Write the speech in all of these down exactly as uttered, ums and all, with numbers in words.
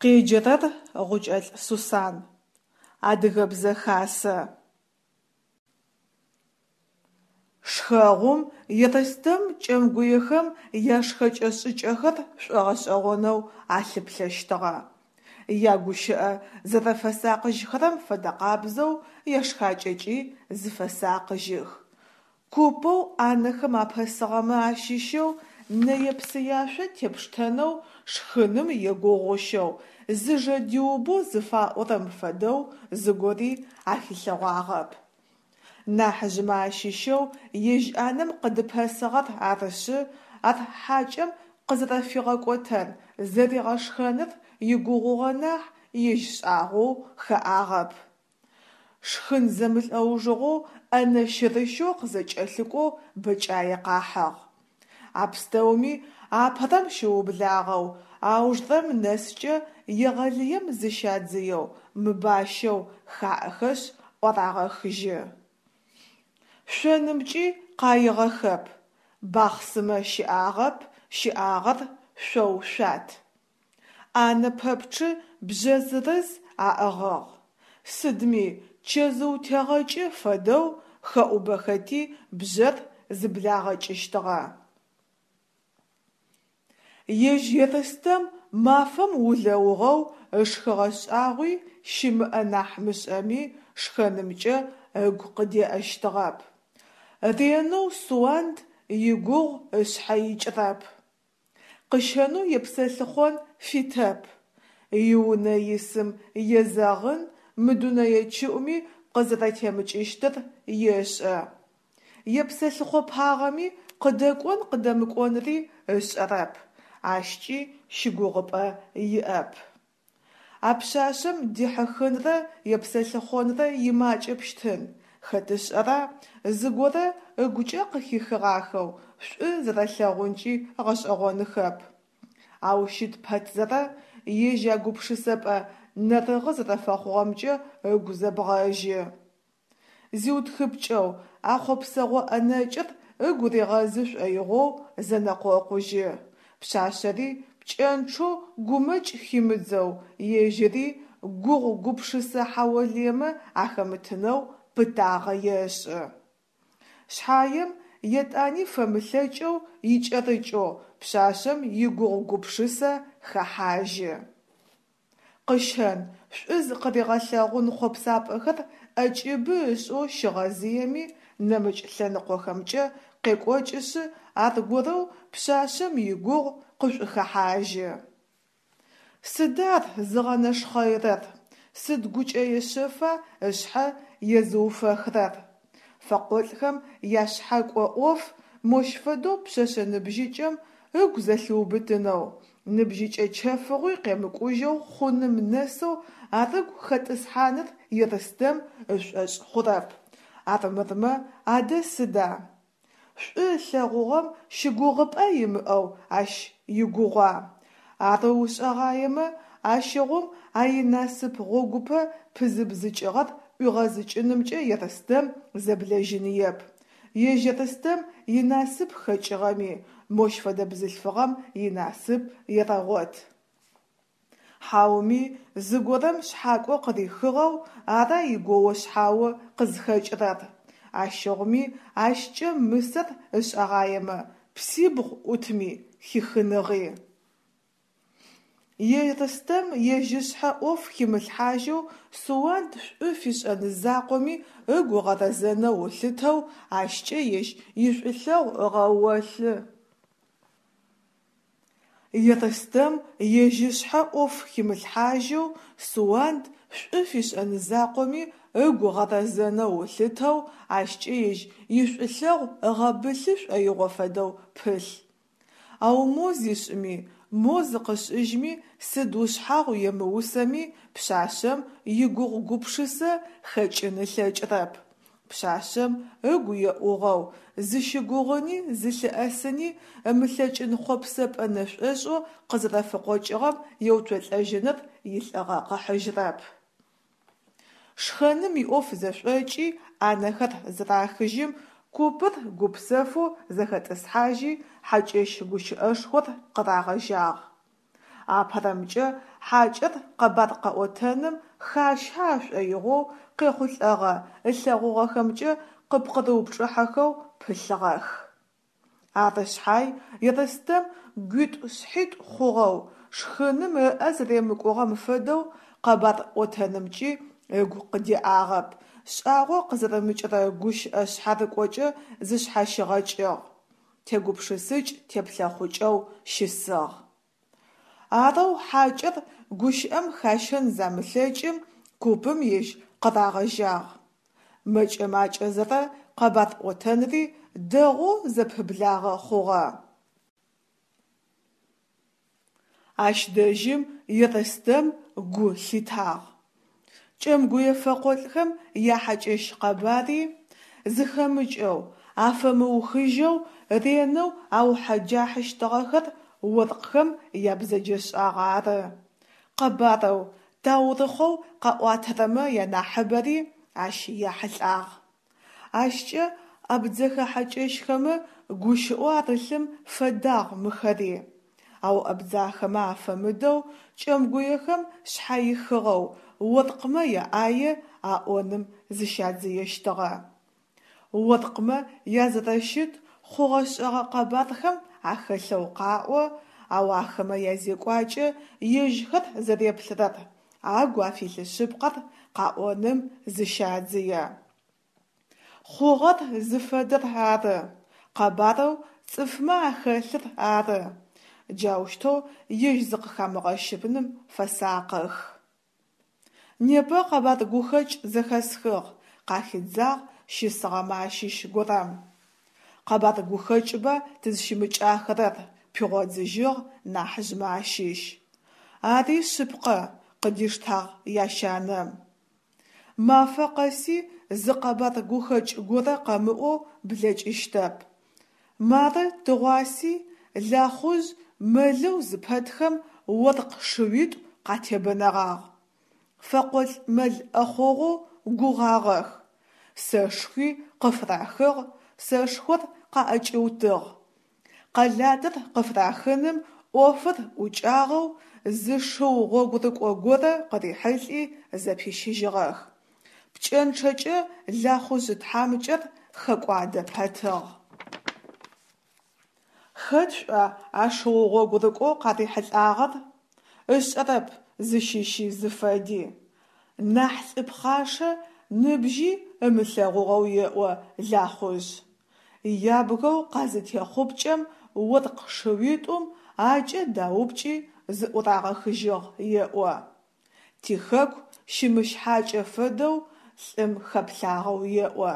Къеджэрэр Гъукӏэлӏ Сусан. Адыгэбзэ хасэ. Шхэгъум Ерстэм кӏэмгуехэм яшхэкӏэ-шӏыкӏэхэр шӏогъэшӏэгъонэу алъыплъэщтыгъэ. Ягущыӏэ зэрэфэсакъыжьхэрэм фэдэкъабзэу яшхакӏэкӏи зыфэсакъыжьых. Купэу ӏанэхэм апэсыгъэмэ ащыщэу нэе-псыяшъо тепштэнэу шхыным егугъущэу, зыжэ диубэу зыфаӏорэм фэдэу зыгори ахилъэгъуагъэп. Нахьыжъмэ ащыщэу ежь ӏанэм къыдыпэсыгъэр арышъы, ар хьакӏэм къызэрэфигъэкӏотэн, зэригъэшхэныр игугъугъэ нахь, ежь шӏагъоу хэӏагъэп. Шхын зэмылӏэужыгъоу ӏэнэ щырыщэу къызэкӏэлъыкӏоу бэкӏае къахьыгъ. А пстэуми апэрэм щыублагъэу аужырэм нэскӏэ егъэлыем зыщадзыеу, мыбащэу хаӏэхэшъ ӏуарагъэхыжьы. Шъонымкӏи къаигъэхэп: бахъсымэ щыӏагъэп, щыӏагъэр шъоу-шъуат. Ӏанэ пэпчъы бжъэ зырыз аӏыгъыгъ. Сыдми, чэзыутегъэкӏы фэдэу хэӏубэхэти бжъэр зыблагъэкӏыщтыгъэ. Ежь Ерстэм мафэм улэугъэу ышхыгъэ шӏагъуи щымыӏэ нахь мышӏэми, шхэнымкӏэ ыгу къыдеӏэщтыгъэп. Ренэу Суанд игугъу ышъхьэ икӏырэп. Къыщэнэу епсэлъыхъон фитэп. Иунэ исым езэгъын мы дунэе чыӏуми къызэрэтемыкӏыщтыр ешӏэ. Епсэлъыхъопагъэми къыдэкӏон-къыдэмыкӏонри ышӏэрэп, ащкӏи щыгугъыпӏэ иӏэп. А пшъашъэм дихьыхынрэ епсэлъыхъонрэ имакӏэпщтын, хэт ышӏэра, зыгорэ ыгукӏэ къыхихыгъахэу шӏу зэрэлъэгъункӏи гъэшӏэгъоныхэп. Ау щыт пэтзэрэ, ежь а гупшысэпӏэ нэрыгъы зэрэфэхъугъэмкӏэ ыгу зэбгъэжьы. Зиутхыпкӏэу, а хъопсэгъо ӏэнэкӏыр ыгу ригъэзы шӏоигъоу зэнэкъокъужьы. Пшъашъэри пкӏэнчъэу гумэкӏ химыдзэу, ежьыри гугъу-гупшысэ хьаолыемэ ахэмытынэу пытагъэ ешӏы. Шъхьаем, етӏани фэмылъэкӏэу икӏэрыкӏэу пшъашъэм игугъу-гупшысэ хэхьажьы. Къыщэн, шӏу зыкъыригъэлъэгъун хъопсапӏэхэр ӏэкӏыбы ышӏэу щигъэзыеми, нэмыкӏ лъэныкъохэмкӏэ къекӏокӏышъы аргорэу пшъашъэм игугъу къышӏухэхьажьы. Сыда ар зыгъэнэшхъэирэр, сыд гукӏэе шъэфа ышъхьэ езыуфэхырэр? Фэкъолӏхэм яшъхьэкӏо ӏоф мощ фэдэу пшъэшъэ ныбжьыкӏэм ыгу зэлъиубытынэу, ныбжьыкӏэ чэфыгъуи къемыкӏужьэу хъуным нэсэу ар ыгу хэтӏысхьаныр Ерстэм ышӏошъ хъурэп. Армырмэ адэ сыда? Шӏу ылъэгъугъэм щыгугъыпӏэ имыӏэу ащ игугъуа? Арэу ышӏэгъаемэ, ащыгъум а инасып гъогупэ пызыбзыкӏыгъэр ӏуигъэзыкӏынымкӏэ Ерстэм зэблэжьыныеп. Ежь Ерстэм инасып хэкӏыгъэми, мощ фэдэ бзылъфыгъэм инасып ерэгъот. Хьауми зыгорэм шъхьакӏо къырихыгъэу ара игоу-шъхьао къызхэкӏырэр? Ащыгъуми ащкӏэ мысэр ышӏэгъаемэ, псибгъу ӏутми хихыныгъи. Ерстэм ежь ышъхьэ ӏоф химылъхьажьэу Суанд шӏу фишӏэн закъоми ыгу ыгъэрэзэнэу ылъытэу, ащкӏэ ежь ишӏулъэгъу ыгъэолъы. Ерстэм ежь ышъхьэ ӏоф химылъхьажьэу Суанд шӏу фишӏэн закъоми ыгу ыгъэрэзэнэу ылъытэу, ащкӏэ ежь ишӏулъэгъу ыгъэбылъы шӏоигъо фэдэу пылъ. Ау мо зишӏыми, мо зыкъышӏыжьми, сыд ушъхьагъу емыусэми пшъашъэм игугъу-гупшысэ хэкӏын ылъэкӏырэп. Пшъашъэм ыгу еӏугъэу, зыщыгугъыни зылъыӏэсыни ымылъэкӏын хъопсэпӏэ нэшӏошӏэу къызэрэфыкъокӏыгъэм еуцолӏэжьыныр илӏыгъэ къыхьыжьырэп. Шхэным иӏоф зэшӏокӏи, ӏанэхэр зырахыжьым, купыр гупсэфэу зэхэтӏысхьажьи, хьакӏэщ гущыӏэшхор къырагъэжьагъ. Апэрэмкӏэ хьакӏэр къэбар къэӏотэным хащэ ашӏоигъоу, къехъулӏэгъэ, ылъэгъугъэхэмкӏэ къыпкъырыупчӏыхьэхэу пылъыгъэх. Ары шъхьай Ерстэм гуитӏу-шъхьитӏу хъугъэу, шхыным ыӏэ зэремыкӏугъэм фэдэу къэбар ӏотэнымкӏи ыгу къыдеӏагъэп, шӏагъо къызэрымыкӏырэ гущыӏэ шъхьарыкӏокӏэ зышъхьащигъэкӏыгъ, тегупшысыкӏ-теплъэхъукӏэу щысыгъ. Арэу хьакӏэр гущыӏэм хащэн замылъэкӏым, купым ежь къырагъэжьагъ. Мэкӏэ-макӏэзэрэ къэбар ӏотэнри дэгъоу зэпыблагъэ хъугъэ. Ащ дэжьым Ерстэм гу лъитагъ. Кӏэмгуе фэкъолӏхэм яхьакӏэщ къэбари, зыхэмыкӏэу, афэмыухыжьэу ренэу аухьэджахьыщтыгъэхэр оркъхэм ябзэджэшӏагъ ары. Къэбарэу, таурыхъэу къаӏуатэрэмэ янахьыбэри ащ яхьылӏагъ. Ащкӏэ абдзэхэ хьакӏэщхэмэ гущыӏэу арылъым фэдагъ мыхэри, ау абдзахэмэ афэмыдэу кӏэмгуехэм шъхьаихыгъэу оркъмэ яӏае аӏоным зыщадзыещтыгъэ. Оркъмэ язэрэщыт хъугъэ-шӏэгъэ къэбархэм ахэлъэу къаӏо, ау ахэмэ язекӏуакӏэ ежьхэр зэреплърэр, агу афилъ шъыпкъэр къаӏоным зыщадзые. Хъугъэр зыфэдэр ары, къэбарэу цӏыфмэ ахэлъыр ары, джаущтэу ежь зыкъыхамыгъэщыным фэсакъых. Непэ къэбар гухэкӏ зэхэсхыгъ, къахидзагъ щысыгъэмэ ащыщ горэм. Къэбар гухэкӏба тызщымыкӏахэрэр, пигъодзыжьыгъ нахьыжъмэ ащыщ. Ари шъыпкъэ, къыдиштагъ ящанэм. Мафэ къэси зы къэбар гухэкӏ горэ къэмыӏоу блэкӏыщтэп. Мары тыгъуаси Лахъужъ мэлэу зыпэтхэм оркъ шыуитӏу къатебэнэгъагъ. Фэкъолӏ мэл ӏэхъогъоу гугъагъэх, сэшхуи къыфырахыгъ, сэшхор къаӏэкӏиутыгъ. Къэлатыр къыфырахыным ӏофыр ӏукӏагъэу зы шыу гъогурыкӏо горэ къырихьылӏи зэпищыжьыгъэх. Пкӏэнчъэкӏэ Лахъужъ тхьамыкӏэр хэкӏуадэ пэтыгъ. Хэт шъуӏуа а шыу гъогурыкӏоу къарихьылӏагъэр? Ышӏэрэп зыщыщи зыфэди. Нахь лӏы пхъашэ ныбжьи ымылъэгъугъэу еӏо Лахъужъ. Ябгэу къазытехъупкӏэм оркъ шыуитӏум акӏэ даупкӏи зыӏурагъэхыжьыгъ еӏо. Тихэку щымыщ хьакӏэ фэдэу лӏым хэплъагъэу еӏо.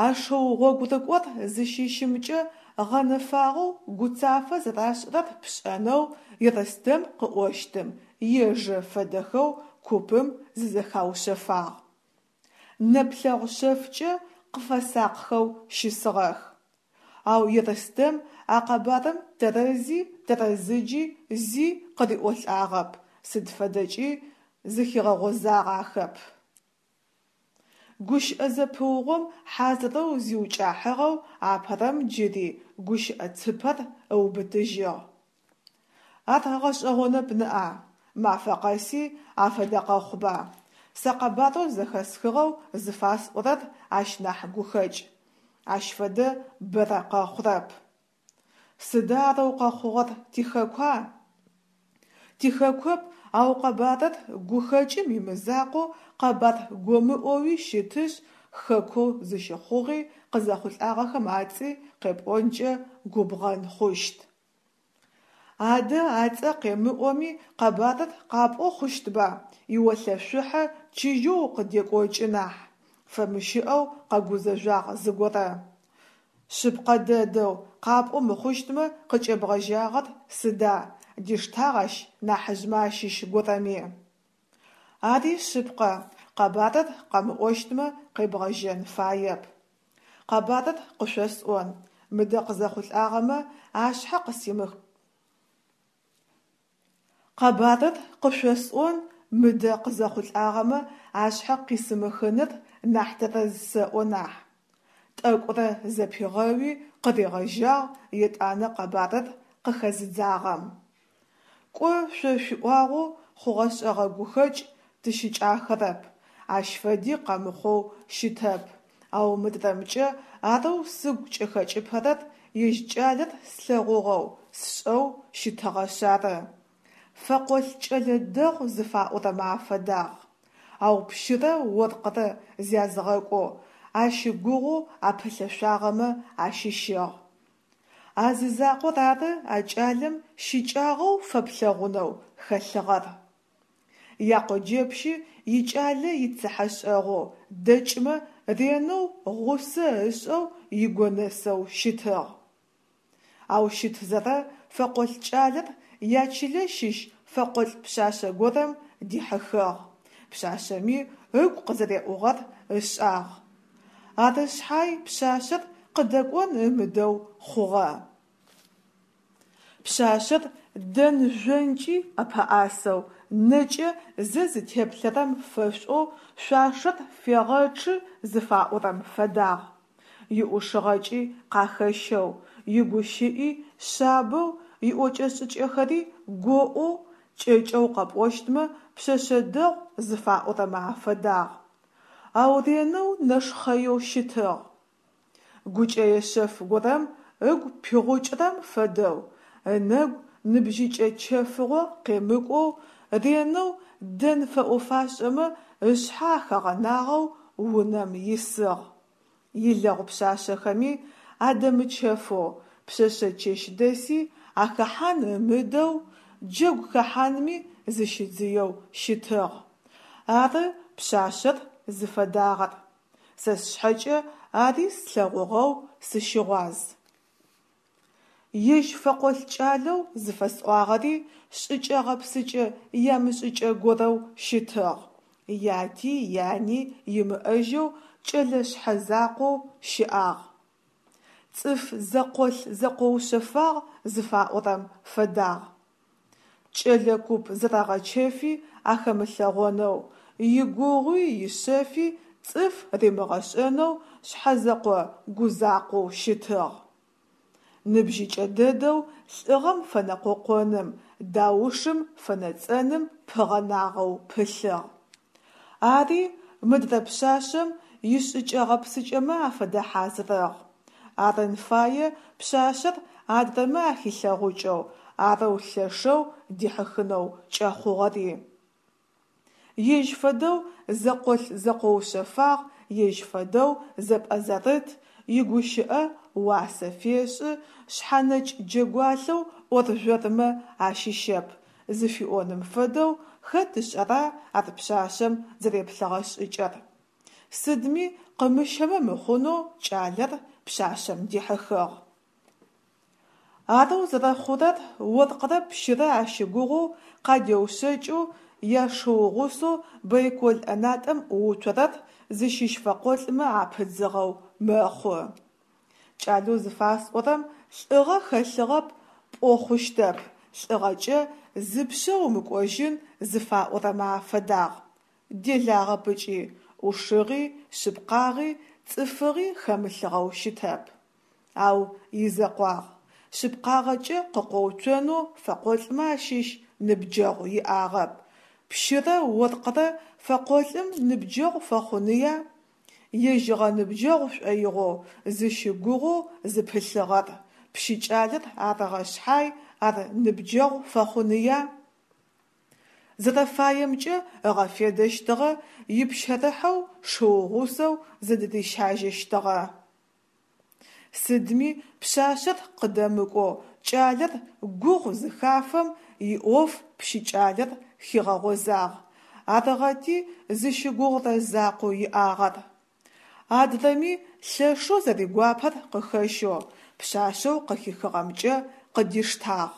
А шыу гъогурыкӏор зыщыщымкӏэ гъэнэфагъэу гуцафэ зэрашӏырэр пшӏэнэу Ерстэм къыӏощтым ежэ фэдэхэу купым зызэхаушъэфагъ. Нэплъэгъу шъэфкӏэ къыфэсакъхэу щысыгъэх. Ау Ерстэм а къэбарым тэрэзи тэрэзыджи зи къыриӏолӏагъэп, сыд фэдэкӏи зыхигъэгъозагъэхэп. Гущыӏэ зэпыугъом хьазырэу зиукӏахьыгъэу апэрэм джыри гущыӏэ цыпэр ыубытыжьыгъ. Ар гъэшӏэгъонэп ныӏа, мафэ къэси афэдэ къэхъуба. Сэ къэбарэу зэхэсхыгъэу зыфасӏорэр ащ нахь гухэкӏ. Ащ фэдэ бэрэ къэхъурэп. Сыда арэу къэхъугъэр тихэкуа? Тихэкоп, ау къэбарыр гухэкӏым имызакъоу къэбар гомыӏоуи щытышъ, хэкоу зыщыхъугъи къызэхъулӏагъэхэм ацӏи къепӏонкӏэ губгъэн хъущт. Адэ ацӏэ къемыӏоми къэбарыр къапӏо хъущтба, иолъэшъухьэ чыжьэу укъыдекӏокӏы нахь, фэмыщыӏэу къэгузэжъуагъ зыгорэ. Шъыпкъэ дэдэу, къапӏо мыхъущтмэ къыкӏебгъэжьагъэр сыда, диштагъ ащ нахьыжъмэ ащыщ горэми. Ари шъыпкъэ, къэбарыр къэмыӏощтмэ къебгъэжьэн фаеп. Къэбарыр къышъосӏон, мыдэ къызэхъулӏагъэмэ ашъхьэ къысимых. Къэбарыр къышъосӏон, мыдэ къызэхъулӏагъэмэ ашъхьэ къисымыхыныр нахь тэрэз сэӏо нахь. Тӏэкӏурэ зэпигъэуи къыригъэжьагъ етӏанэ къэбарыр къыхэзыдзагъэм. Кӏо, шъо шъуиӏуагъэу хъугъэ-шӏэгъэ гухэкӏ тыщыкӏахэрэп, ащ фэди къэмыхъоу щытэп, ау мыдрэмкӏэ арэу сыгу кӏыхэкӏыпэрэр ежь кӏалэр слъэгъугъэу, сшӏэу щытыгъэшъ ары. Фэкъолӏ кӏэлэ дэгъу зыфаӏорэмэ афэдагъ. Ау пщырэ оркъырэ зязгъэкӏоу, ащыгугъэу апылъэшъуагъэмэ ащыщыгъ. А зы закъор ары а кӏалэм щыкӏагъэу фэплъэгъунэу хэлъыгъэр. Якъоджэпщы икӏалэ ицыхьэшӏэгъоу, дэкӏмэ ренэу гъусэ ышӏэу игонэсэу щытыгъ. Ау щытзэрэ фэкъолӏ кӏалэр ячылэ щыщ фэкъолӏ пшъашъэ горэм дихьыхыгъ, пшъашъэми ыгу къызэреӏугъэр ышӏагъ. Ары шъхьай пшъашъэр къыдэкӏон ымыдэу хъугъэ. Пшъашъэр дэн-жъонкӏи ӏэпэӏасэу, нэкӏэ зэ зытеплъэрэм фэшӏоу шъуашэр фегъэчъы зыфаӏорэм фэдагъ. Иӏушыгъэкӏи къахэщэу, игущыӏи шъабэу, иӏокӏэ-шӏыкӏэхэри гоӏоу, кӏэкӏэу къэпӏощтмэ, пшъэшъэ дэгъу зыфаӏорэмэ афэдагъ. Ау ренэу нэшхъэеу щытыгъ. Гукӏэе шъэф горэм ыгу пигъукӏырэм фэдэу, ынэгу ныбжьыкӏэ чэфыгъо къемыкӏоу, ренэу дэн фэӏо-фашӏэмэ ышъхьэ ахэгъэнагъэу унэм исыгъ. Илэгъу пшъашъэхэми адэмычэфэу, пшъэшъэ чэщдэси ахэхьан ымыдэу, джэгу хэхьанми зыщидзыеу щытыгъ. Ары пшъашъэр зыфэдагъэр. Сэ сшъхьэкӏэ ари слъэгъугъэу сыщыгъуаз. Ежь фэкъолӏ кӏалэу зыфэсӏуагъэри шӏыкӏэ-гъэпсыкӏэ ямышӏыкӏэ горэу щытыгъ, яти яни имыӏэжьэу кӏэлэ шъхьэзакъоу щыӏагъ. Цӏыф зэкъолъ-зэкъоушъэфагъ зыфаӏорэм фэдагъ. Кӏэлэ куп зэрэгъэчэфи ахэмылъэгъонэу, игугъуи ишъэфи цӏыф римыгъэшӏэнэу шъхьэзэкъо-гузакъоу щытыгъ. Ныбжьыкӏэ дэдэу лӏыгъэм фэнэкъокъоным, даушым фэнэцӏэным пыгъэнагъэу пылъыгъ. Ари мыдрэ пшъашъэм ишӏыкӏэ-гъэпсыкӏэмэ афэдэ хьазырыгъ. Арын фае пшъашъэр адрэмэ ахилъэгъукӏэу, арэу лъэшэу дихьыхынэу кӏэхъугъэри. Ежь фэдэу зэкъолъ-зэкъоушъэфагъ, ежь фэдэу зэпӏэзэрыт, игущыӏэ уасэ фешӏы, шъхьэнэкӏ джэгуалъэу ӏоржъормэ ащыщэп зыфиӏоным фэдэу хэт ышӏэра ар пшъашъэм зэреплъыгъэ шӏыкӏэр. Сыдми къымыщэмэ мыхъунэу кӏалэр пшъашъэм дихьыхыгъ. Арэу зэрэхъурэр оркърэ пщырэ ащыгугъэу къадеушъэкӏэу яшыу гъусэу байкол ӏэнатӏэм ӏууцорэр зыщыщ фэкъолӏмэ апыдзыгъэу мэхъу. Кӏалэу зыфасӏорэм лӏыгъэ хэлъыгъэп пӏо хъущтэп, лӏыгъэкӏэ зыпшъэ умыкӏожьын зыфаӏорэмэ афэдагъ. Делагъэп ыкӏи, ӏушыгъи, шъыпкъагъи, цӏыфыгъи хэмылъыгъэу щытэп. Ау изэкъуагъ, шъыпкъагъэкӏэ къыкъоуцонэу фэкъолӏмэ ащыщ ныбджэгъу иӏагъэп, пщырэ оркърэ фэкъолӏым ныбджэгъу фэхъуныя? Ежь ыгъэныбджэгъу шӏоигъоу, зыщыгугъэу зыпылъыгъэр пщы кӏалэр арыгъэ шъхьай ар ныбджэгъу фэхъуныя? Зэрэфаемкӏэ ыгъэфедэщтыгъэ, ипщэрыхьэу шыу гъусэу зыдырищажьэщтыгъэ. Сыдми пшъашъэр къыдэмыкӏоу кӏалэр гугъу зыхафэм иӏоф пщы кӏалэр хигъэгъозагъ, арыгъэти зыщыгугърэ закъоу иӏагъэр. Адрэми лъэшэу зэригуапэр къыхэщэу пшъашъэу къыхихыгъэмкӏэ къыдиштагъ.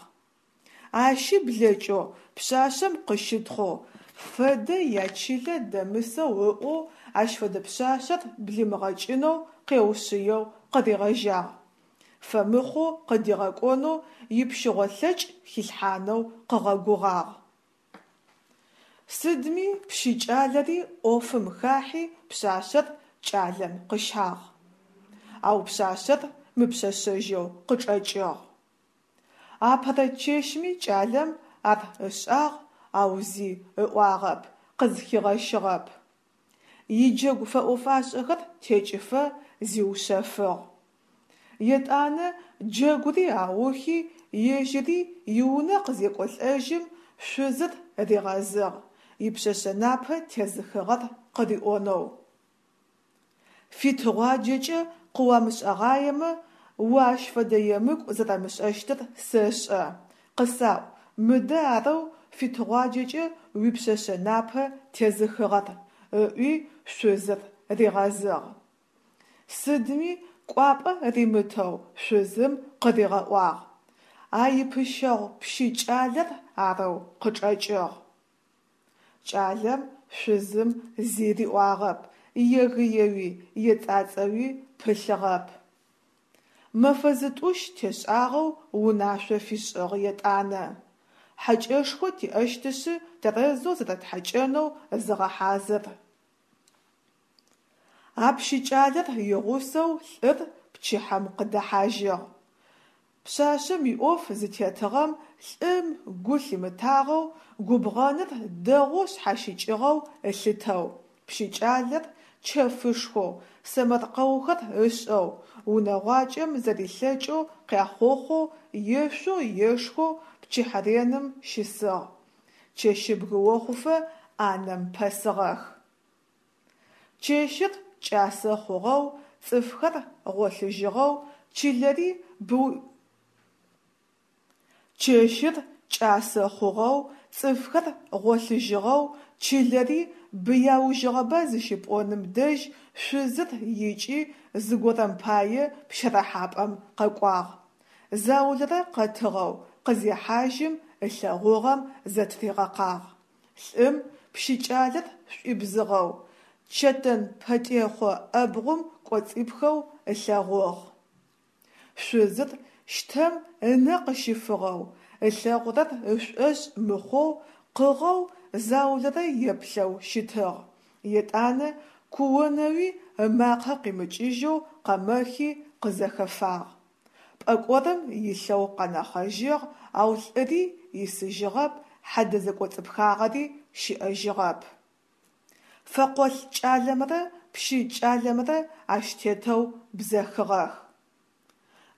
Ащи блэкӏэу пшъашъэм къыщытхъоу, фэдэ ячылэ дэмысэу ыӏоу, ащ фэдэ пшъашъэр блимыгъэкӏынэу къеушъыеу къыригъэжьагъ. Фэмыхъоу къыдигъэкӏонэу ипщыгъо лъэкӏ хилъхьанэу къыгъэгугъагъ. Сыдми пщы кӏалэри ӏофым хахьи пшъашъэр кӏалэм къыщагъ. Ау пшъашъэр мыпшъэшъэжьэу къычӏэкӏыгъ. Апэрэ чэщми кӏалэм ар ышӏагъ, ау зи ыӏуагъэп, къызхигъэщыгъэп. Иджэгу фэӏо-фашӏэхэр текӏыфэ зиушъэфыгъ. Етӏанэ джэгури аухи, ежьыри иунэ къызекӏолӏэжьым, шъузыр ригъэзыгъ ипшъэшъэ напэ тезыхыгъэр къыриӏонэу. Фитыгъуаджэкӏэ къыуамышӏэгъаемэ, о ащ фэдэ емыкӏу зэрэмышӏэщтыр сэшӏэ, къысаӏу мыдэ арэу фитыгъуаджэкӏэ уипшъэшъэ напэ тезыхыгъэр, – ыӏуи шъузыр ригъэзыгъ. Сыдми кӏуапӏэ римытэу шъузым къыригъэӏуагъ: а ипыщэгъу пщы кӏалэр арэу къычӏэкӏыгъ. Кӏалэм шъузым зи риӏуагъэп, егыеуи ецӏацӏэуи пылъыгъэп. Мэфэ зытӏущ тешӏагъэу унашъо фишӏыгъ етӏанэ: Хьэкӏэшхо тиӏэщтышъы тэрэзэу зэрэтхьэкӏэнэу зыгъэхьазыр. А пщы кӏалэр игъусэу лӏыр пчыхьэм къыдэхьажьыгъ. Пшъашъэм иӏоф зытетыгъэм лӏым гу лъимытагъэу, губгъэныр дэгъоу шъхьащыкӏыгъэу ылъытэу, пщы кӏалэр чэфышхоу, сэмэркъэухэр ышӏэу, унэгъуакӏэм зэрилъэкӏэу къяхъохъоу, ешъоу ешхэу пчыхьэреным щысыгъ, чэщыбгы охъуфэ ӏанэм пэсыгъэх. Чэщыр кӏасэ хъугъэу, цӏыфхэр гъолъыжьыгъэу, чылэри Чэщыр кӏасэ хъугъэу, цӏыфхэр гъолъыжьыгъэу, чылэри быяужьыгъэба зыщыпӏоным дэжь шъузыр икӏи зыгорэм пае пщэрыхьапӏэм къэкӏуагъ. Заулэрэ къэтыгъэу къызехьажьым ылъэгъугъэм зэтыригъэкъагъ: лӏым пщы кӏалэр шӏуибзыгъэу, чэтэн пэтӏехъо ӏэбгъум кӏоцӏипхэу ылъэгъугъ. Шъузыр щтэм ынэ къыщыфыгъэу, ылъэгъурэр ышӏошъ мыхъоу къыгъэу заулэрэ еплъэу щытыгъ, етӏанэ куонэуи ымакъэ къимыкӏыжьэу къэмэхи къызэхэфагъ. Пӏэкӏорым илъэу къэнэхъэжьыгъ, ау лӏыри исыжьыгъэп, хьэдэ зэкӏоцӏыпхагъэри щыӏэжьыгъэп. Фэкъолӏ кӏалэмрэ пщы кӏалэмрэ ащ тетэу бзэхыгъэх.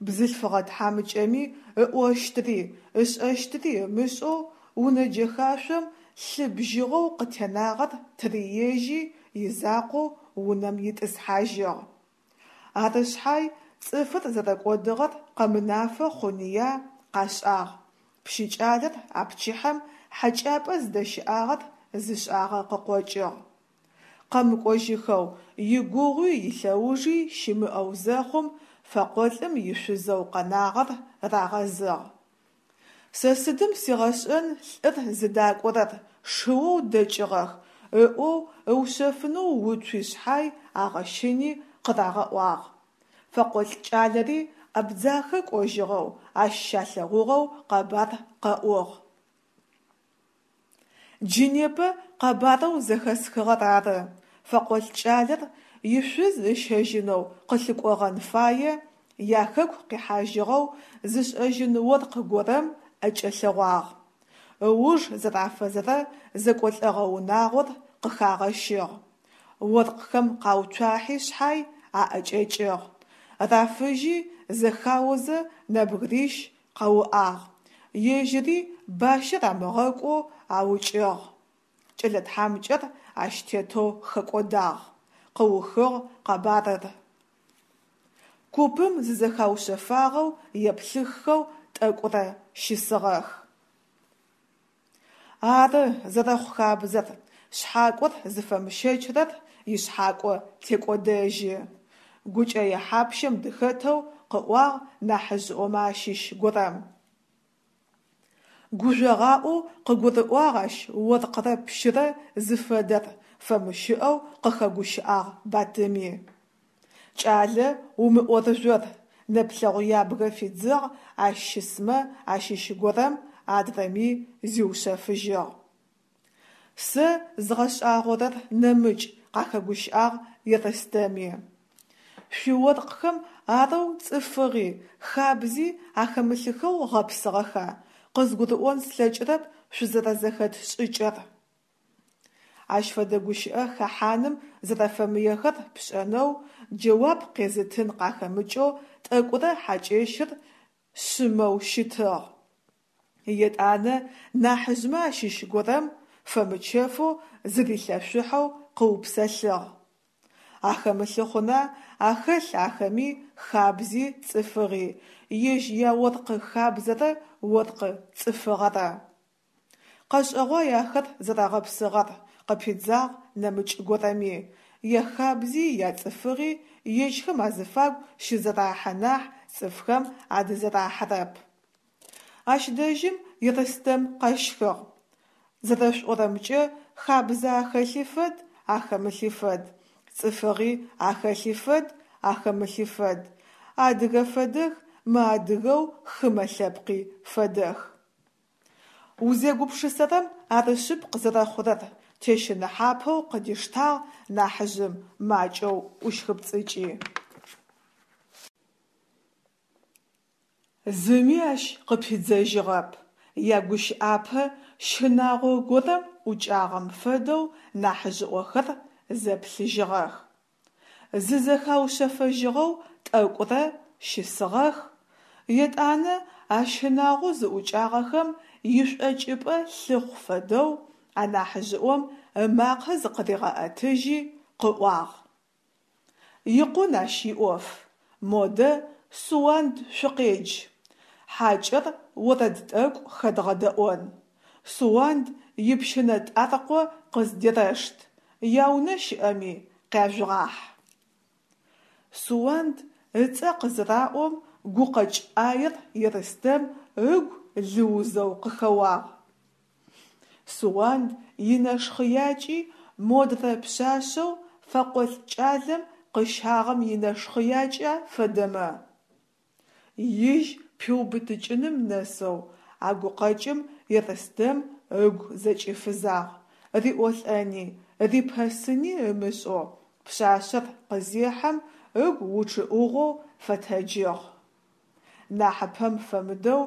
Бзылъфыгъэ тхьамыкӏэми ыӏощтыри ышӏэщтыри ымышӏэу унэ джэхашъом лъы бжьыгъэу къытенагъэр тыриежьи, изакъоу унэм итӏысхьажьыгъ. Ары шъхьай цӏыфыр зэрэкӏодыгъэр къэмынафэ хъуныя, къашӏагъ: пщы кӏалэр а пчыхьэм хьэкӏапӏэ зыдэщыӏагъэр зышӏагъэ къыкъокӏыгъ. Къэмыкӏожьыхэу, игугъуи илъэужи щымыӏэу зэхъум, фэкъолӏым ишъузэу къэнагъэр рагъэзыгъ. Сэ сыдым сигъэшӏэн лӏыр зыдакӏорэр, шыоу дэкӏыгъэх, ыӏоу ыушъэфынэу уцуи шъхьай, агъэщыни къырагъэӏуагъ. Фэкъолӏ кӏалэри Абдзахэ кӏожьыгъэу, ащ щалъэгъугъэу къэбар къэӏугъ. Джы непэ къэбарэу зэхэсхыгъэр ары: фэкъолӏ кӏалэр ишъуз ыщэжьынэу къылъыкӏогъэн фае, яхэку къихьажьыгъэу зышӏэжьын оркъ горэм ӏэкӏэлъэгъуагъ. Ыуж зэрафэзэрэ зэкӏолӏэгъэ унагъор къыхагъэщыгъ. Оркъхэм къауцуахьи шъхьай аӏэкӏэкӏыгъ. Рафыжьи зэхаозэ нэбгырищ къауӏагъ, ежьыри бащэ рамыгъэкӏоу аукӏыгъ. Кӏэлэ тхьамыкӏэр ащ тетэу хэкӏодагъ, къыухыгъ къэбарыр. Купым зызэхаушъэфагъэу еплъыххэу тӏэкӏурэ щысыгъэх. Ары зэрэхъу хабзэр, шъхьакӏор зыфэмыщэчырэр ишъхьакӏо текӏодэжьы, гукӏэе хьапщэм дыхэтэу къыӏуагъ нахьыжъыӏомэ ащыщ горэм. Гужъогъаӏоу къыгурыӏуагъ ащ оркърэ пщырэ зыфэдэр, фэмыщыӏэу къыхэгущыӏагъ Батыми. Кӏалэ, умыӏорыжъор, нэплъэгъу ябгэ фидзыгъ ащ щысмэ ащыщ горэм, адрэми зиушъэфыжьыгъ. Сэ згъэшӏагъорэр нэмыкӏ, къахэгущыӏагъ Ерстэми. Шъуиоркъхэм арэу цӏыфыгъи, хабзи ахэмылъыхэу гъэпсыгъэха, къызгурыӏон слъэкӏырэп шъузэрэзэхэт шӏыкӏэр? Ащ фэдэ гущыӏэ хэхьаным зэрэфэмыехэр пшӏэнэу, джэуап къезытын къахэмыкӏэу тӏэкӏурэ хьакӏэщыр шъымэу щытыгъ. Етӏанэ нахьыжъмэ ащыщ горэм фэмычэфэу зырилъэшъухьэу къыупсэлъыгъ: Ахэмылъы хъуна, ахэлъ ахэми хабзи цӏыфыгъи, ежь яоркъы хабзэрэ оркъы цӏыфыгъэрэ. Къэшӏэгъуай ахэр зэрэгъэпсыгъэр, къыпидзагъ нэмыкӏ горэми, яхабзи яцӏыфыгъи ежьхэм азыфагу щызэрахьэ нахь цӏыфхэм адызэрахьэрэп. Ащ дэжьым Ерстэм къэщхыгъ: Зэрэшъуӏорэмкӏэ, хабзэ ахэлъи фэд, ахэмылъи фэд, цӏыфыгъи ахэлъи фэд, ахэмылъи фэд, адыгэ фэдэх, мыадыгэу хымэ лъэпкъи фэдэх. Узегупшысэрэм ары шъыпкъ зэрэхъурэр, тещыныхьапэу къыдиштагъ нахьыжъым, макӏэу ӏущхыпцӏыкӏи. Зыми ащ къыпидзэжьыгъэп, ягущыӏапэ щынагъо горэм ӏукӏагъэм фэдэу нахьыжъыӏохэр зэплъыжьыгъэх. Зызэхаушъэфэжьыгъэу тӏэкӏурэ щысыгъэх, етӏанэ а щынагъоу зыӏукӏагъэхэм ишӏокӏыпӏэ лъыхъу фэдэу анахьыжъыӏом ымакъэ зыкъыригъэӏэтыжьи къыӏуагъ: Икъун ащ иӏоф, модэ Суанд шъукъедж, хьакӏэр орэд тӏэкӏу хэдгъэдэӏон. Суанд ипщынэтӏаркъо къыздерэшт, яунэ щыӏэми къяжъугъахь. Суанд ыцӏэ къызыраӏом гукъэкӏ ӏаер Ерстэм ыгу лыузэу къыхэуагъ. Суанд инэшхъэякӏи модрэ пшъашъэу фэкъолӏ кӏалэм къыщагъэм инэшхъэякӏа фэдэмэ? Ижь пиубытыкӏыным нэсэу а гукъэкӏым Ерстэм ыгу зэкӏифызагъ, риӏолӏэни, рипэсыни ымышӏэу пшъашъэр къызехьэм ыгу учъыӏыгъэу фэтэджыгъ. Нахьыпэм фэмыдэу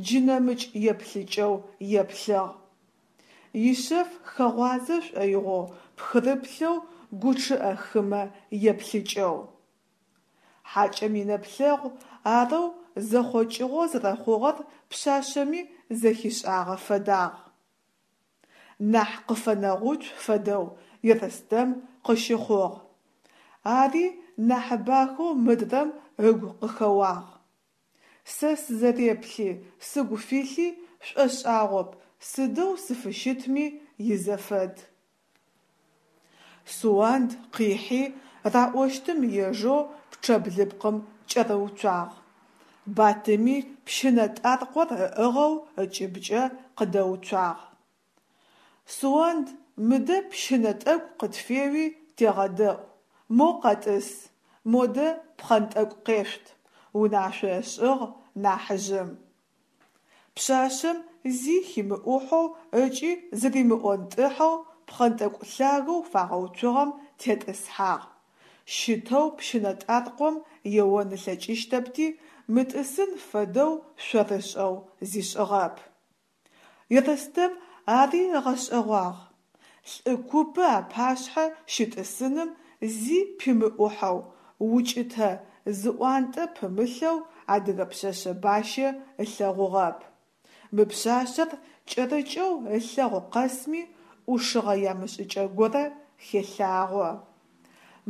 джы нэмыкӏ еплъыкӏэу еплъыгъ. Ишъэф хэгъуазэ шӏоигъоу пхырыплъэу гучъыӏэ хымэ еплъыкӏэу. Хьакӏэм инэплъэгъу арэу зэхъокӏыгъэу зэрэхъугъэр пшъашъэми зэхишӏагъэ фэдагъ. Нахь къыфэнэгъуцу фэдэу Ерстэм къыщыхъугъ. Ари нахьыбахэу мыдрэм ыгу къыхэуагъ. Сэ сызэреплъи, сыгу филъи шӏошӏагъоп, сыдэу сыфыщытми изэфэд. Суанд къихьи раӏощтым ежэу пчъэблыпкъым кӏэрыуцуагъ. Батыми пщынэтӏаркъор ыӏыгъэу ыкӏыбкӏэ къыдэуцуагъ. Суанд, мыдэ пщынэ тӏэкӏу къытфеуи тегъэдэӏу, моу къэтӏыс, модэ пхъэнтӏэкӏу къешъут, унашъо ышӏыгъ нахьыжъым. Пшъашъэм зи химыӏухьэу ыкӏи зыримыӏонтӏыхьэу пхъэнтӏэкӏу лъагэу фагъэуцугъэм тетӏысхьагъ, щытэу пщынэтӏаркъом еон ылъэкӏыщтэпти, мытӏысын фэдэу шъорышӏэу зишӏыгъэп. Ерстэм ари ыгъэшӏэгъуагъ: лӏы купы апашъхьэ щытӏысыным зи пимыӏухьэу, укӏытэ зыӏуантӏэ пымылъэу адыгэ пшъэшъэ бащэ ылъэгъугъэп. Мы пшъашъэр кӏэрыкӏэу ылъэгъу къэсми ӏушыгъэ ямышӏыкӏэ горэ хелъагъо.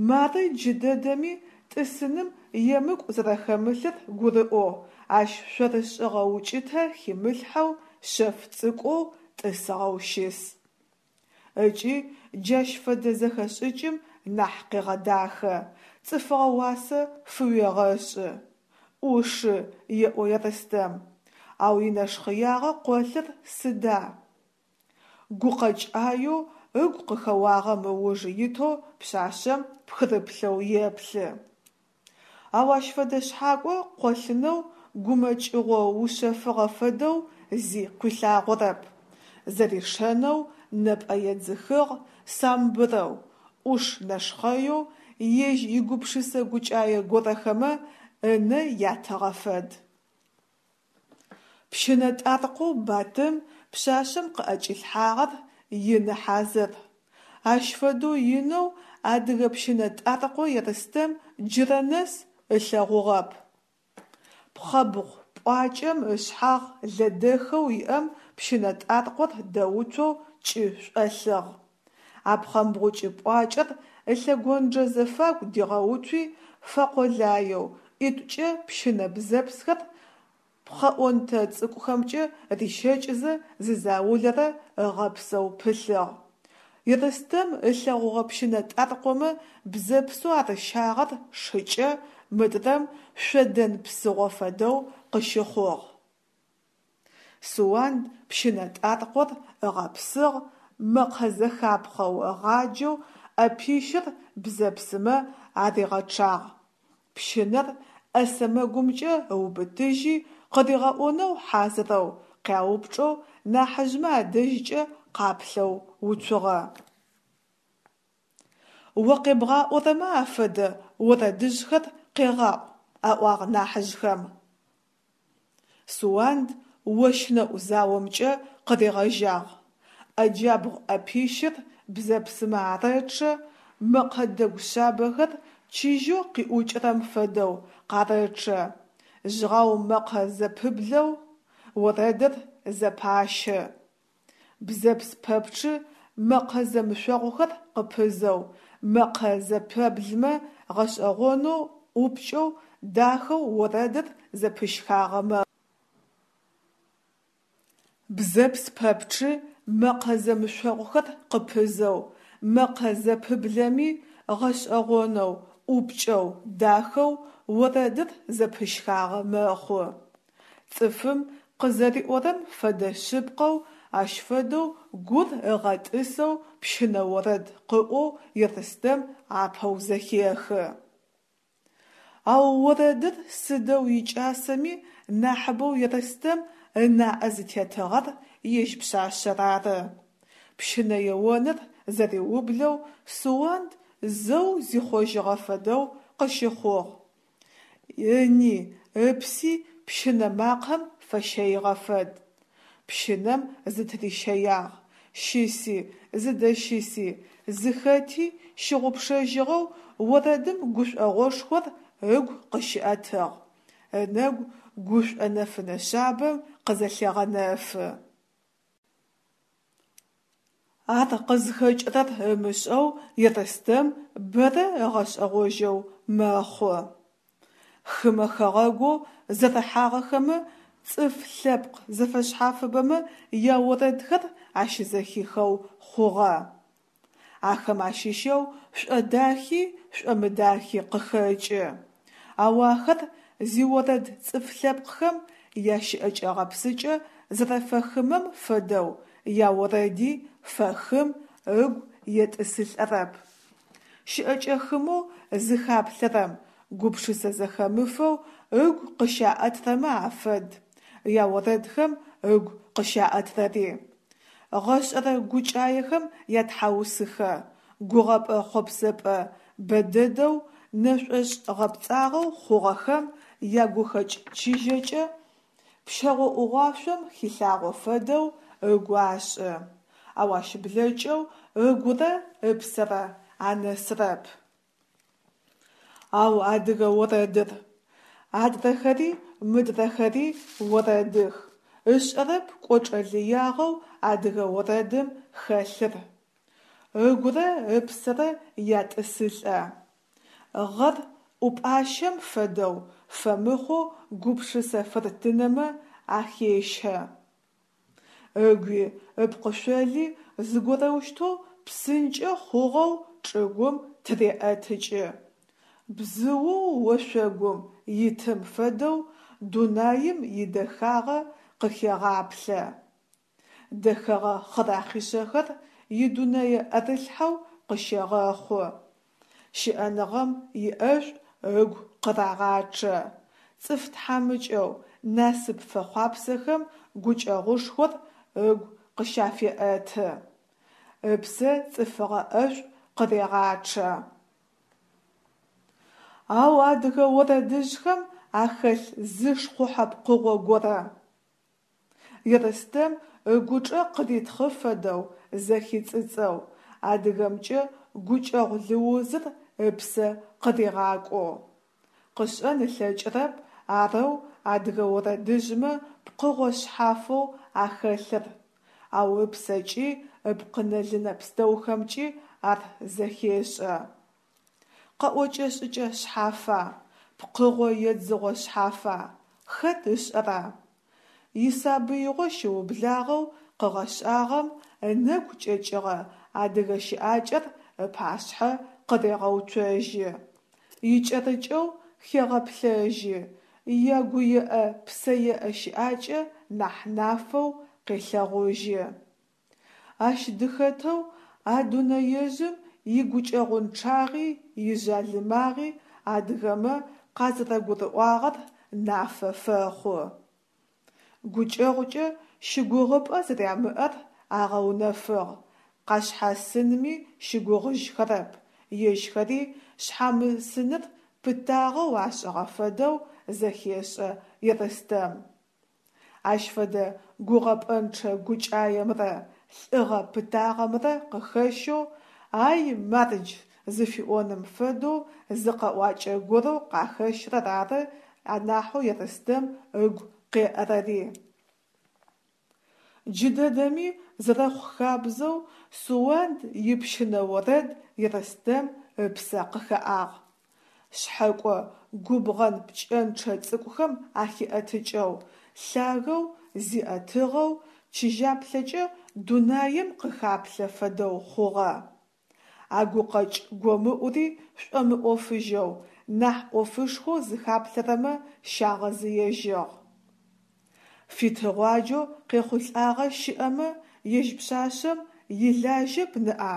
Мары джыдэдэми тӏысыным емыкӏу зэрэхэмылъыр гурыӏоу, ащ шъорышӏыгъэ укӏытэ химылъхьэу шъэф цӏыкӏоу тӏысыгъэу щыс. Ыкӏи джащ фэдэ зэхэшӏыкӏым нахь къегъэдахэ, цӏыфыгъэ уасэ фыуегъэшӏы. Ӏушы, еӏо Ерстэм, ау инэшхъэягъэ къолъыр сыда? Гукъэкӏ ӏаеу ыгу къыхэуагъэм ыуж итэу пшъашъэм пхырыплъэу еплъы. Ау ащ фэдэ шъхьакӏо къолъынэу гумэкӏыгъо ушъэфыгъэ фэдэу зи къуилъагъорэп. Зэришэнэу нэпӏэ едзыхыгъ, самбырэу, ӏуш нэшхъэеу, ежь игупшысэ-гукӏае горэхэмэ ынэ ятыгъэ фэд. Пщынэтӏаркъоу Батым Пшъашъэм къыӏэкӏилъхьагъэр ины хьазыр. Ащ фэдэу инэу адыгэ пщынэтӏаркъо Ерстэм джырэ нэс ылъэгъугъэп. Пхъэмбгъу пӏуакӏэм ышъхьагъ лэдэхэу иӏэм пщынэтӏаркъор дэуцоу кӏы шӏолъыгъ. А пхъэмбгъукӏы пӏуакӏэр ылъэгонджэ зэфагу дигъэуцуи, фэкъолаеу, ӏитӏукӏэ пщынэ бзэпсхэр пхъэӏонтэ цӏыкӏухэмкӏэ рищэкӏзэ зы заулэрэ ыгъэпсэу пылъыгъ. Ерстэм ылъэгъугъэ пщынэтӏаркъомэ бзэпсэу арыщагъэр шыкӏэ, мыдрэм шъодэн псыгъо фэдэу къыщыхъугъ. Суанд пщынэтӏаркъор ыгъэпсыгъ, мэкъэ зэхапхъэу ыгъаджэу ӏэпищыр бзэпсымэ аригъэчъагъ. Пщынэр ӏэ сэмэгумкӏэ ыубытыжьи, къыригъэӏонэу хьазырэу, къяупчӏэу нахьыжъмэ адэжькӏэ къаплъэу уцугъэ. О къебгъаӏорэмэ афэдэ орэдыжъхэр къегъаӏу, – аӏуагъ нахьыжъхэм. Суанд ощнэӏу заомкӏэ къыригъэжьагъ. Ӏэ джабгъу ӏэпищыр бзэпсымэ арэчъэ, мэкъэ дэгу шъабэхэр чыжьэу къиӏукӏырэм фэдэу къарэчъэ, жъгъау мэкъэ зэпыблэу орэдыр зэпащы. Бзэпс пэпчъы мэкъэ зэмышъогъухэр къыпызэу, мэкъэ зэпэблымэ гъэшӏэгъонэу, ӏупкӏэу, дахэу орэдыр зэпыщхагъэ мэхъу. Бзэпс пэпчъы мэкъэ зэмышъогъухэр къыпызэу, мэкъэ зэпыблэми гъэшӏэгъонэу, ӏупкӏэу, дахэу орэдыр зэпыщхагъэ мэхъу. Цӏыфым къызэриӏорэм фэдэ шъыпкъэу, ащ фэдэу гур ыгъэтӏысэу пщынэ орэд къыӏоу Ерстэм апэу зэхехы. Ау орэдыр сыдэу икӏасэми нахьыбэу Ерстэм ынаӏэ зытетыгъэр ежь пшъашъэр ары. Пщынэ еоныр зэриублэу Суанд зэу зихъожьыгъэ фэдэу къыщыхъугъ. Ыни ыпси пщынэ макъэм фэщэигъэ фэд. Пщынэм зытырищэягъ, щыси, зыдэщыси, зыхэти щыгъупшэжьыгъэу орэдым гушӏогъошхор ыгу къыщиӏэтыгъ, ынэгу гушӏо нэфынэ шъабэм къызэлъегъэнэфы. Ар къызхэкӏырэр ымышӏэу Ерстэм бэрэ ыгъэшӏэгъожьэу мэхъу. Хымэ хэгъэгоу зэрыхьагъэхэмэ цӏыф лъэпкъ зэфэшъхьафыбэмэ яорэдхэр ащызэхихэу хъугъэ. Ахэм ащыщэу шӏодахи шӏомыдахи къыхэкӏы. Ау ахэр зиорэд цӏыф лъэпкъхэм ящыӏэкӏэ-гъэпсыкӏэ зэрэфэхымэм фэдэу яорэди фэхым, ыгу етӏысылӏэрэп. Щыӏэкӏэ хымэу зыхаплъэрэм гупшысэ зэхэмыфэу ыгу къыщаӏэтрэмэ афэд яорэдхэм ыгу къыщаӏэтрэри. Гъэшӏэрэ гукӏаехэм ятхьаусыхэ, гугъэпӏэ-хъопсэпӏэ бэдэдэу нэшӏошӏ гъэпцӏагъэу хъугъэхэм ягухэкӏ чыжьэкӏэ, пщэгъо ӏугъуашъом хилъагъо фэдэу ыгу ашӏы, ау ащ блэкӏэу ыгурэ ыпсэрэ анэсырэп. Ау адыгэ орэдыр? Адрэхэри мыдрэхэри орэдых, ышӏэрэп кӏочӏэ лыягъэу адыгэ орэдым хэлъыр. Ыгурэ ыпсэрэ ятӏысылӏэ. Гъэр ӏупӏащэм фэдэу фэмыхъоу гупшысэ фыртынэмэ ахещэ. Ыгуи ыпкъышъоли зыгорэущтэу псынкӏэ хъугъэу чӏыгум тыреӏэтыкӏы, бзыоу ошъогум итым фэдэу дунаим идэхагъэ къыхегъаплъэ. Дэхэгъэ хъырахъишъэхэр идунэе ӏэрылъхьэу къыщегъэхъу. Щыӏэныгъэм иӏэшӏу ыгу къырагъачъэ. Цӏыф тхьамыкӏэу, насып фэхъуапсэхэм гукӏэгъушхор ыгу къыщафеӏэты. Ыпсэ цӏыфыгъэ ӏэшӏу къырегъачъэ. Ау адыгэ орэдыжъхэм ахэлъ зы шхъухьэ пкъыгъо горэ. Ерстэм ыгучӏэ къыритхъы фэдэу зэхицӏыцӏэу, адыгэмкӏэ гукӏэгъу лыузыр ыпсэ къыригъакӏоу. Къышӏэн ылъэкӏырэп арэу адыгэ орэдыжъмэ пкъыгъо шъхьафэу ахэлъыр, ау ыпсэкӏи ыпкъынэ-лынэ пстэухэмкӏи ар зэхешӏэ. Къэӏокӏэ-шӏыкӏэ шъхьафа, пкъыгъо едзыгъо шъхьафа, хэт ышӏэра? Исабыигъо щыублагъэу къыгъэшӏагъэм, ынэгу кӏэкӏыгъэ адыгэ щыӏакӏэр ыпашъхьэ къырегъэуцожьы, икӏэрыкӏэу хегъэплъэжьы, ягуеӏэ-псэеӏэ щыӏакӏэ нахь нафэу къелъэгъужьы. Ащ дыхэтэу а дунэежъым игукӏэгъунчъагъи ижъалымагъи адыгэмэ къазэрэгурыӏуагъэр нафэ фэхъу. Гукӏэгъукӏэ щыгугъыпӏэ зэрямыӏэр агъэунэфыгъ, къашъхьасынми щыгугъыжьхэрэп, ежьхэри шъхьамысыныр пытагъэу ашӏыгъэ фэдэу зэхешӏэ Ерстэм. Ащ фэдэ гугъэпӏэнчъэ гукӏаемрэ лӏыгъэ пытагъэмрэ къыхэщэу «ай мардж» зыфиӏоным фэдэу зы къэӏуакӏэ горэу къахэщрэр ары анахьэу Ерстэм ыгу къеӏэрэри. Джыдэдэми, зэрэхъу хабзэу, Суанд ипщынэ орэд Ерстэм ыпсэ къыхэӏагъ. Шъхьэкӏо губгъэн пкӏэнчъэ цӏыкӏухэм ахиӏэтыкӏэу, лъагэу зиӏэтыгъэу, чыжьаплъэкӏэ дунаем къыхаплъэ фэдэу хъугъэ. А гукъэкӏ гомыӏури шӏомыӏофыжьэу, нахь ӏофышхоу зыхаплъэрэмэ щагъэзыежьыгъ. Фитыгъуаджэу къехъулӏагъэ щыӏэмэ, ежь пшъашъэм илажьэп ныӏа?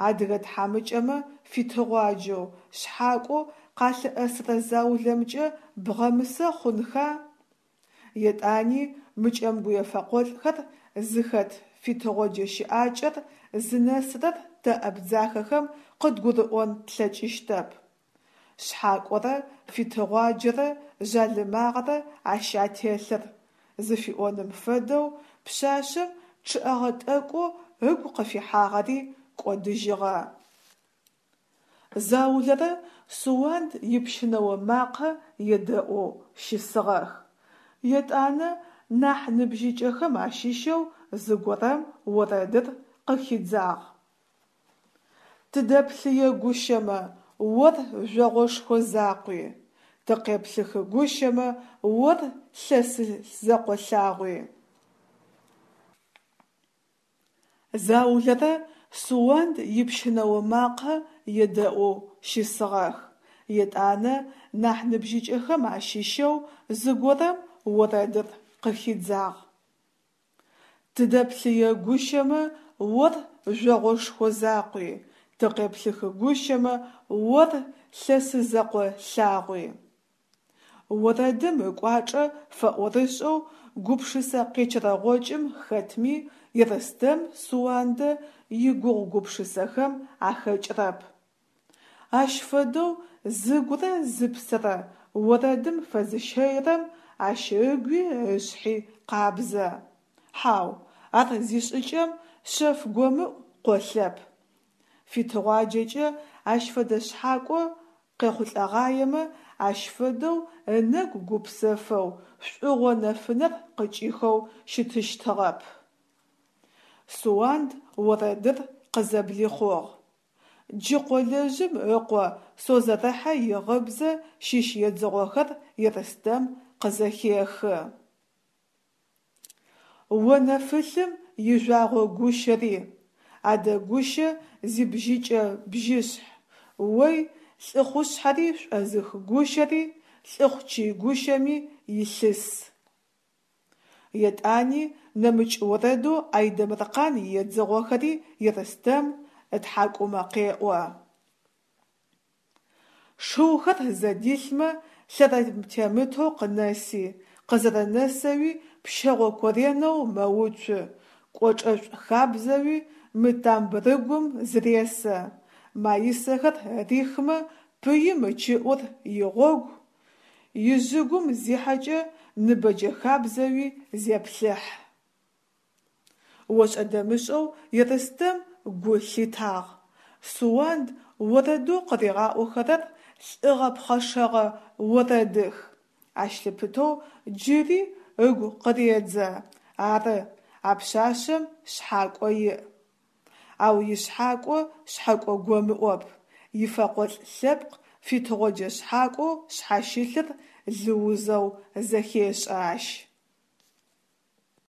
Адыгэ тхьамыкӏэмэ фитыгъуаджэу, шъхьакӏоу къалъыӏэсырэ заулэмкӏэ бгъэмысэ хъунха? Етӏани мы кӏэмгуе фэкъолӏхэр зыхэт фитыгъоджэ щыӏакӏэр зынэсырэр тэ абдзахэхэм къыдгурыӏон тлъэкӏыщтэп. Шъхьакӏорэ фитыгъуаджэрэ жъалымагъэрэ ащ ателъыр зыфиӏоным фэдэу пшъашъэм чъыӏэгъэ тӏэкӏоу ыгу къыфихьагъэри кӏодыжьыгъэ. Заулэрэ Суанд ипщынэо макъэ едэӏоу щысыгъэх. Етӏанэ нахь ныбжьыкӏэхэм ащыщэу зыгорэм орэдыр къыхидзагъ. Тыдэплъые гущэмэ, ор жъогъошхо закъуи, Тыкъеплъыхы гущэмэ, ор лъэсы зэкъо лъагъуи. Заулэрэ Суанд ипщынэо макъэ едэӏоу щысыгъэх. Етӏанэ нахь ныбжьыкӏэхэм ащыщэу зыгорэм орэдыр къыхидзагъ. Тыдэплъые гущэмэ, ор жъогъошхо закъуи, Тыкъеплъыхы гущэмэ, ор лъэсы зэкъо лъагъуи. Орэдым ыкӏуачӏэ фэӏорышӏэу гупшысэ къечэрэгъокӏым хэтми Ерстэм Суандэ игугъу-гупшысэхэм ахэкӏырэп. Ащ фэдэу зыгурэ зыпсэрэ орэдым фэзыщэирэм ащ ыгуи ышъхьи къабзэ. Хьау, ар зишӏыкӏэм шъэф гомыӏу къолъэп. Фитыгъуаджэкӏэ ащ фэдэ шъхьакӏо къехъулӏэгъаемэ, ащ фэдэу ынэгу гупсэфэу, шӏугъо нэфынэр къыкӏихэу щытыщтыгъэп. Суанд орэдыр къызэблихъугъ. Джы къолэжъым ыкъо Созэрыхьэ игъыбзэ щыщ едзыгъохэр Ерстэм къызэхехы. О нэфылъым ижъуагъо гущэри, Адэ гущэ зибжьыкӏэ бжьышъхь, Ой лӏыхъушъхьэри шӏозых гущэри, Лӏыхъучый гущэми илъыс. Етӏани нэмыкӏ орэдэу Айдэмыркъан иедзыгъохэри Ерстэм ытхьакӏумэ къеӏо. Шыухэр зэдилъмэ лъэрэтемытэу къынэси, къызэрэнэсэуи пщэгъо коренэу мэуцу, кӏочӏэшӏу хабзэуи мы тамбырыгум зыресэ, маисэхэр рихмэ пыим ычыӏур игъогу, ижъыгум зихьэкӏэ ныбэджэ хабзэуи зеплъыхь. Ошӏэ-дэмышӏэу Ерстэм гу лъитагъ. Суанд орэдэу къыригъаӏохэрэр лӏыгъэ пхъэшэгъэ орэдых. Ащ лъыпытэу джыри ыгу къыредзэ: «Ары, а пшъашъэм шъхьакӏо иӏ. Ау ишъхьакӏо шъхьэкӏо гомыӏоп, ифэкъолӏ лъэпкъ фитыгъоджэ шъхьакӏоу шъхьащылъыр лыузэу зэхешӏэ ащ».